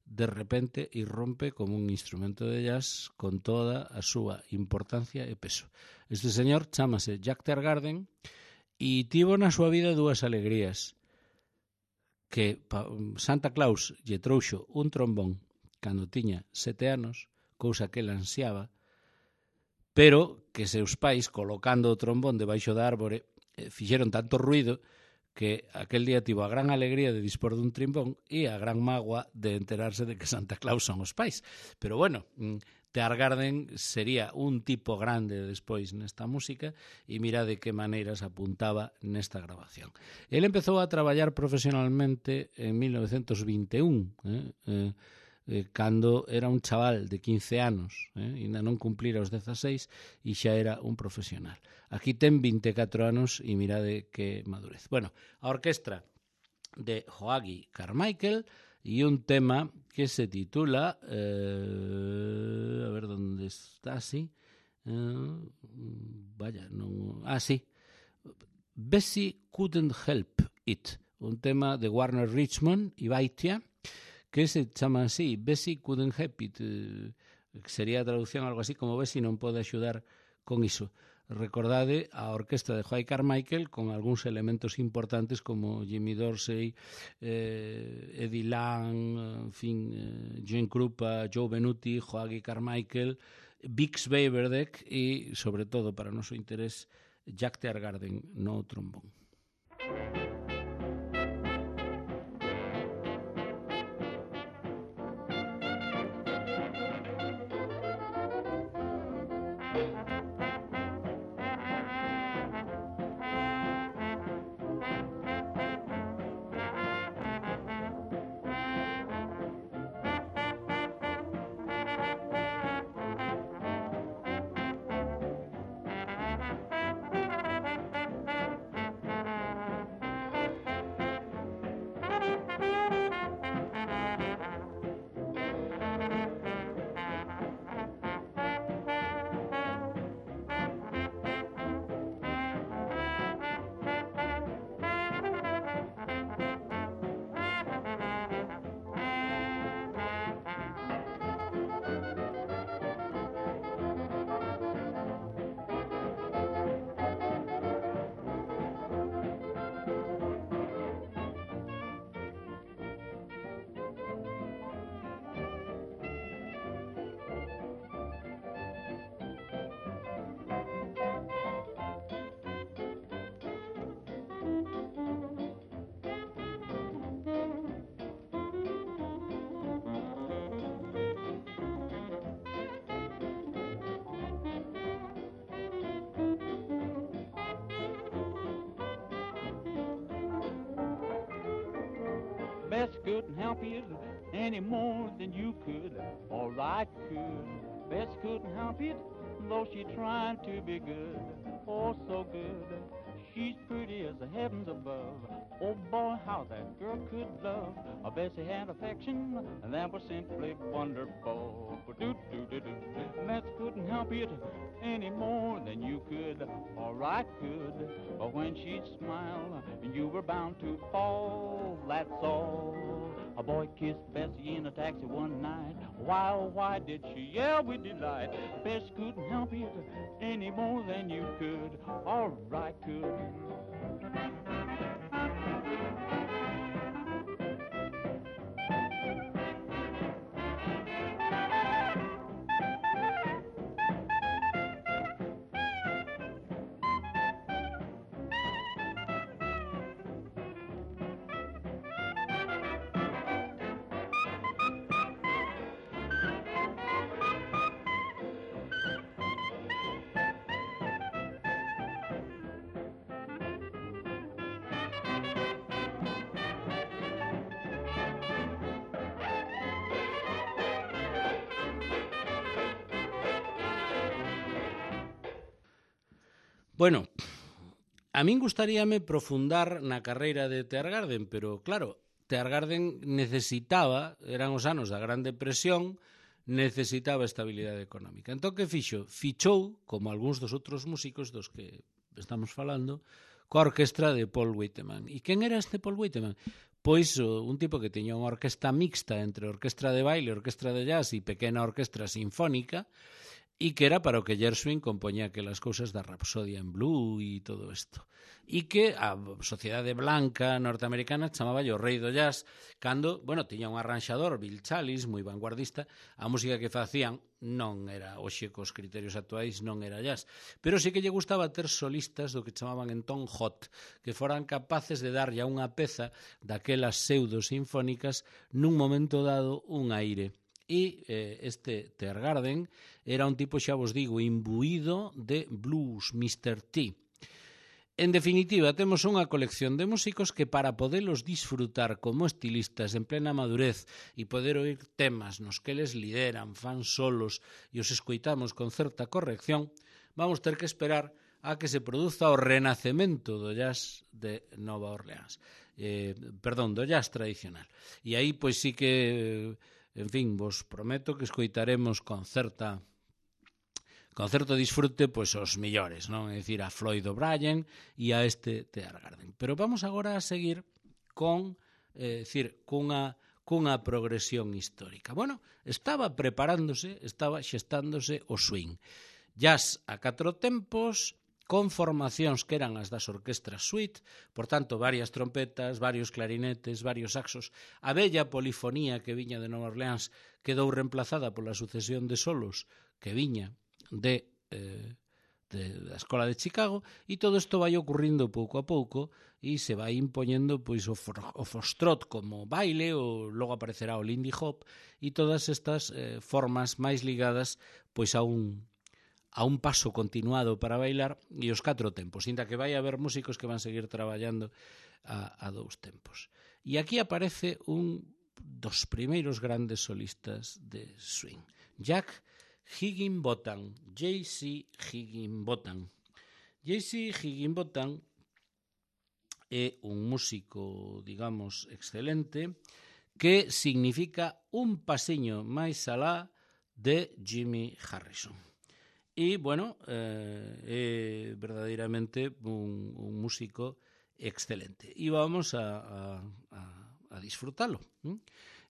[SPEAKER 1] de repente irrompe como un instrumento de jazz con toda a súa importancia e peso. Este señor chámase Jack Teargarden e tivo na súa vida dúas alegrías, que Santa Claus lle trouxo un trombón cando tiña 7 anos, cousa que ele ansiaba, pero que seus pais, colocando o trombón debaixo da árbore, fixeron tanto ruido que aquel día tivo a gran alegría de dispor dun trombón e a gran mágoa de enterarse de que Santa Claus son os pais. Pero bueno, Teargarden sería un tipo grande despois nesta música e mira de que maneiras apuntaba nesta grabación. Ele empezou a traballar profesionalmente en 1921, cando era un chaval de 15 anos, ainda non cumplira os 16 e xa era un profesional. Aquí ten 24 anos e mirade que madurez. Bueno, a orquestra de Joachim Carmichael e un tema que se titula a ver onde está, sí, Bessie Couldn't Help It, un tema de Warner Richmond e Baitia, que se chama así, Bessie Couldn't Help It, que sería a traducción algo así como Bessie non pode axudar con iso. Recordade a orquestra de Joachim Carmichael con algúns elementos importantes como Jimmy Dorsey, Eddie Lang, en fin, Gene Krupa, Joe Benuti, Joachim Carmichael, Bix Beiderbecke e, sobre todo, para o noso interés, Jack Teargarden no trombón.
[SPEAKER 2] Bess couldn't help you any more than you could, or I could. Bess couldn't help it, though she tried to be good, oh so good. She's pretty as the heavens above. Oh boy, how that girl could love. Bessie had affection that was simply wonderful. Bess couldn't help it any more than you could, or I could. But when she'd smile, you were bound to fall. That's all. A boy kissed Bessie in a taxi one night. Why, oh, why did she yell with delight? Bessie couldn't help it any more than you could, or I could.
[SPEAKER 1] Bueno, a min gustaríame profundar na carreira de Teargarden, pero claro, Teargarden necesitaba, eran os anos da Gran Depresión, necesitaba estabilidade económica. Entón, que fixo? Fichou, como algúns dos outros músicos dos que estamos falando, coa orquestra de Paul Whiteman. E quen era este Paul Whiteman? Pois un tipo que tiña unha orquesta mixta entre orquestra de baile, orquestra de jazz e pequena orquestra sinfónica, e que era para o que Gershwin compoñía aquelas cousas da Rapsodia en Blue e todo isto. E que a sociedade blanca norteamericana chamaba o rei do jazz, cando, bueno, tiña un arranxador, Bill Challis, moi vanguardista, a música que facían non era, hoxe cos criterios actuais, non era jazz, pero sí que lle gustaba ter solistas do que chamaban entón hot, que foran capaces de darlle a unha peza daquelas pseudo-sinfónicas nun momento dado un aire. E este Teargarden era un tipo, xa vos digo, imbuído de blues, Mr. T. En definitiva, temos unha colección de músicos que para podelos disfrutar como estilistas en plena madurez e poder oír temas nos que les lideran, fan solos e os escoitamos con certa corrección, vamos ter que esperar a que se produza o renacemento do jazz de Nova Orleans. Do jazz tradicional. E aí, pois sí que... En fin, vos prometo que escoitaremos con certo disfrute pois os millores, non? É dicir, a Floyd O'Brien e a este Teargarden. Pero vamos agora a seguir con, cunha progresión histórica. Bueno, estaba xestándose o swing. Jazz a 4 tempos, con formacións que eran as das orquestras suite, por tanto, varias trompetas, varios clarinetes, varios saxos. A bella polifonía que viña de Nova Orleans quedou reemplazada pola sucesión de solos que viña da Escola de Chicago, e todo isto vai ocurrindo pouco a pouco e se vai impoñendo pois o foxtrot como baile, ou logo aparecerá o lindy hop e todas estas formas máis ligadas pois a un paso continuado para bailar e os 4 tempos, inda que vai haber músicos que van seguir traballando a 2 tempos. E aquí aparece un dos primeiros grandes solistas de swing, Jack Higginbotham, J.C. Higginbotham. J.C. Higginbotham é un músico, digamos, excelente, que significa un pasiño máis alá de Jimmy Harrison. E, bueno, é verdadeiramente un músico excelente. E vamos a disfrutalo.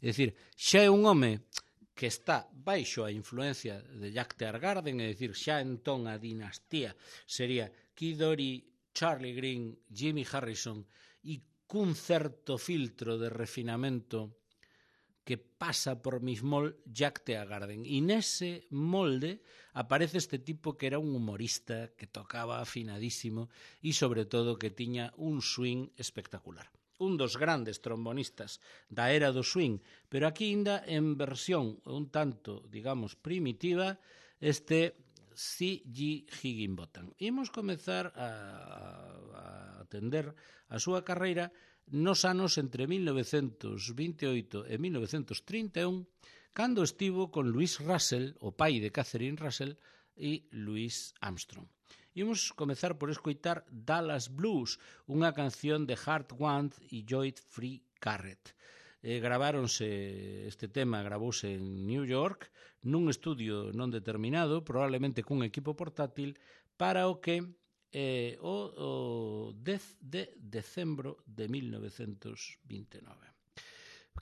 [SPEAKER 1] É dicir, xa é un home que está baixo a influencia de Jack Teargarden, é dicir, xa entón a dinastía sería Kid Ory, Charlie Green, Jimmy Harrison, e cun certo filtro de refinamento que pasa por mismol Jack Teargarden. E nese molde aparece este tipo que era un humorista, que tocaba afinadísimo e, sobre todo, que tiña un swing espectacular. Un dos grandes trombonistas da era do swing, pero aquí ainda en versión un tanto, digamos, primitiva, este C.G. Higginbotham. Imos comezar a atender a súa carreira nos anos entre 1928 e 1931, cando estivo con Louis Russell, o pai de Catherine Russell, e Louis Armstrong. Imos comezar por escoitar Dallas Blues, unha canción de Hart Wand e Joyd Free Carrett. Este tema gravouse en New York, nun estudio non determinado, probablemente cun equipo portátil, para o que o 10 de decembro de 1929.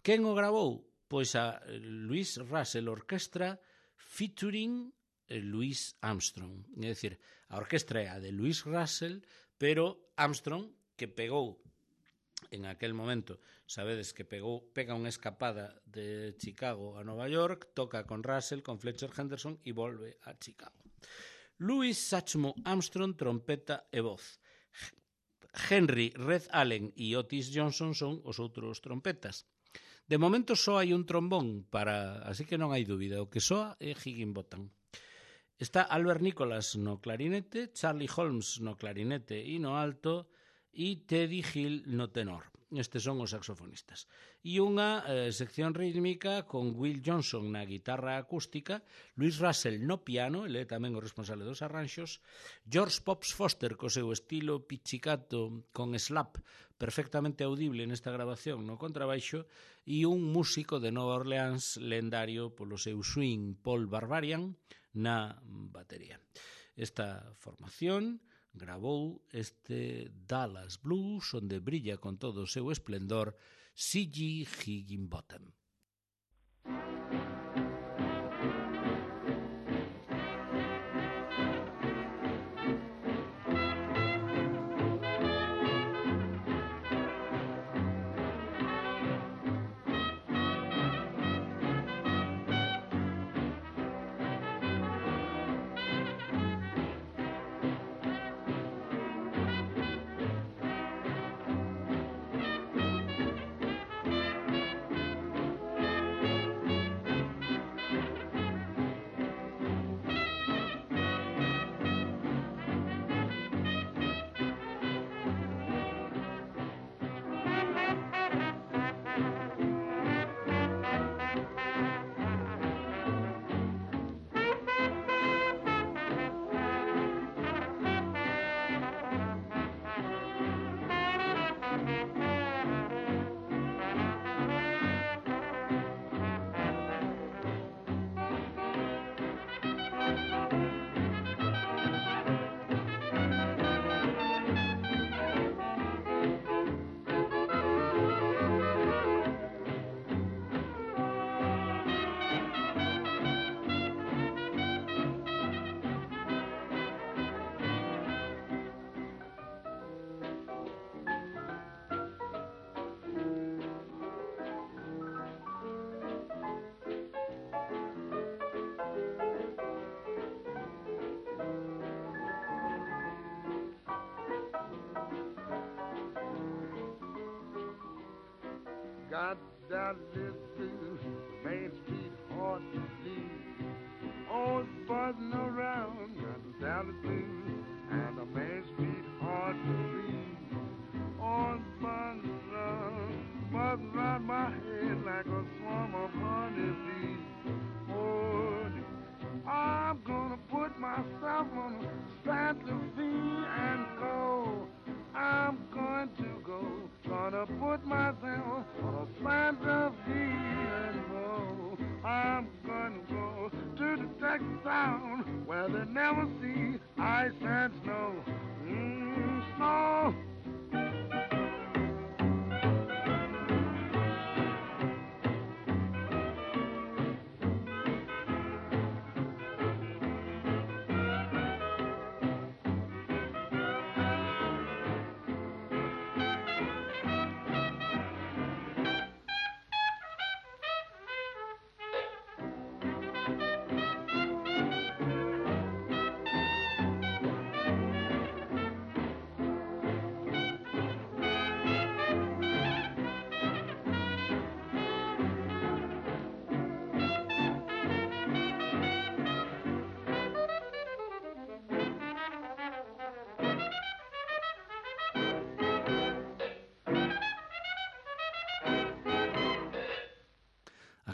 [SPEAKER 1] Quen o gravou? Pois a Louis Russell Orchestra featuring Louis Armstrong. É dicir, a orquestra é a de Louis Russell, pero Armstrong, que pegou en aquel momento, sabedes que pega unha escapada de Chicago a Nova York, toca con Russell, con Fletcher Henderson e volve a Chicago. Louis Satchmo Armstrong, trompeta e voz. Henry Red Allen e Otis Johnson son os outros trompetas. De momento só hai un trombón, así que non hai dúbida, o que soa é Higginbotham. Está Albert Nicholas no clarinete, Charlie Holmes no clarinete e no alto, e Teddy Hill no tenor. Estes son os saxofonistas. E unha sección rítmica con Will Johnson na guitarra acústica, Louis Russell no piano, ele é tamén o responsable dos arranxos, George Pops Foster co seu estilo pizzicato con slap perfectamente audible nesta grabación no contrabaixo, e un músico de Nova Orleans lendario polo seu swing, Paul Barbarian, na batería. Esta formación gravou este Dallas Blues, onde brilla con todo o seu esplendor C.G. Higginbotham.
[SPEAKER 3] Got Dallas blues, Main Street hard to leave. Always buzzing around, got Dallas blues, and the Main Street hard to leave. Always buzzing around my head like a swarm of honeybees. Oh, I'm gonna put myself on Santa Fe and go. I'm going to go, gonna put myself on a Santa Fe and go. I'm gonna go to the Texas town where they never see ice and snow. Snow.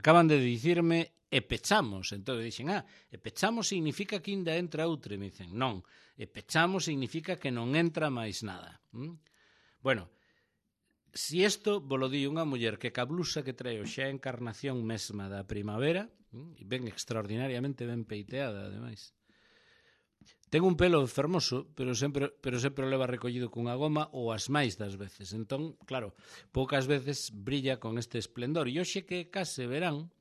[SPEAKER 1] Acaban de dicirme e pechamos, entón dixen, e pechamos significa que ainda entra outra, e me dicen, non, e pechamos significa que non entra máis nada. Bueno, si isto volo di unha muller que ca blusa que trae xa a encarnación mesma da primavera, e ben extraordinariamente ben peiteada, ademais, Ten un pelo fermoso, pero sempre o leva recollido cunha goma ou as máis das veces. Entón, claro, poucas veces brilla con este esplendor. E hoxe que case verán,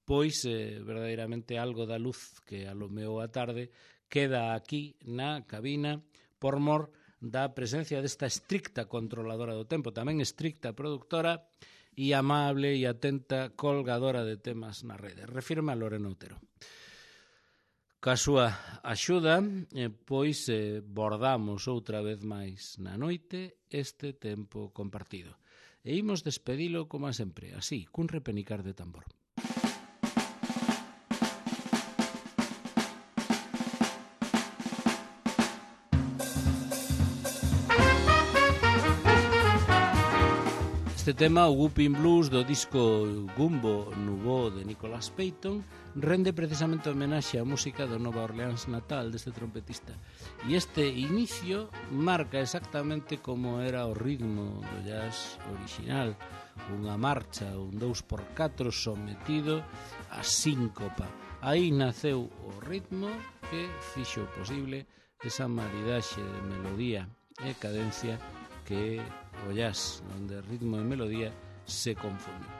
[SPEAKER 1] pois verdadeiramente algo da luz que alumeou a tarde queda aquí na cabina por mor da presencia desta estricta controladora do tempo, tamén estricta produtora e amable e atenta colgadora de temas na rede. Refirme a Lorena Otero. Ca súa axuda, pois bordamos outra vez máis na noite este tempo compartido. E imos despedilo como sempre, así, cun repenicar de tambor. Este tema, o Whooping Blues do disco Gumbo Nubo de Nicholas Payton, rende precisamente homenaxe á música do Nova Orleans natal deste trompetista. E este inicio marca exactamente como era o ritmo do jazz original, unha marcha, un 2x4 sometido a síncopa. Aí naceu o ritmo que fixo posible esa maridaxe de melodía e cadencia que o jazz, onde ritmo e melodía se confunden.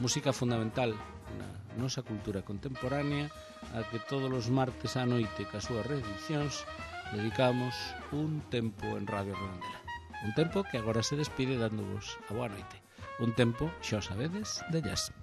[SPEAKER 1] Música fundamental na nosa cultura contemporánea a que todos os martes á noite ca súas reedicións dedicamos un tempo en Radio Redondela. Un tempo que agora se despide dándovos a boa noite. Un tempo, xa o sabedes, de jazz.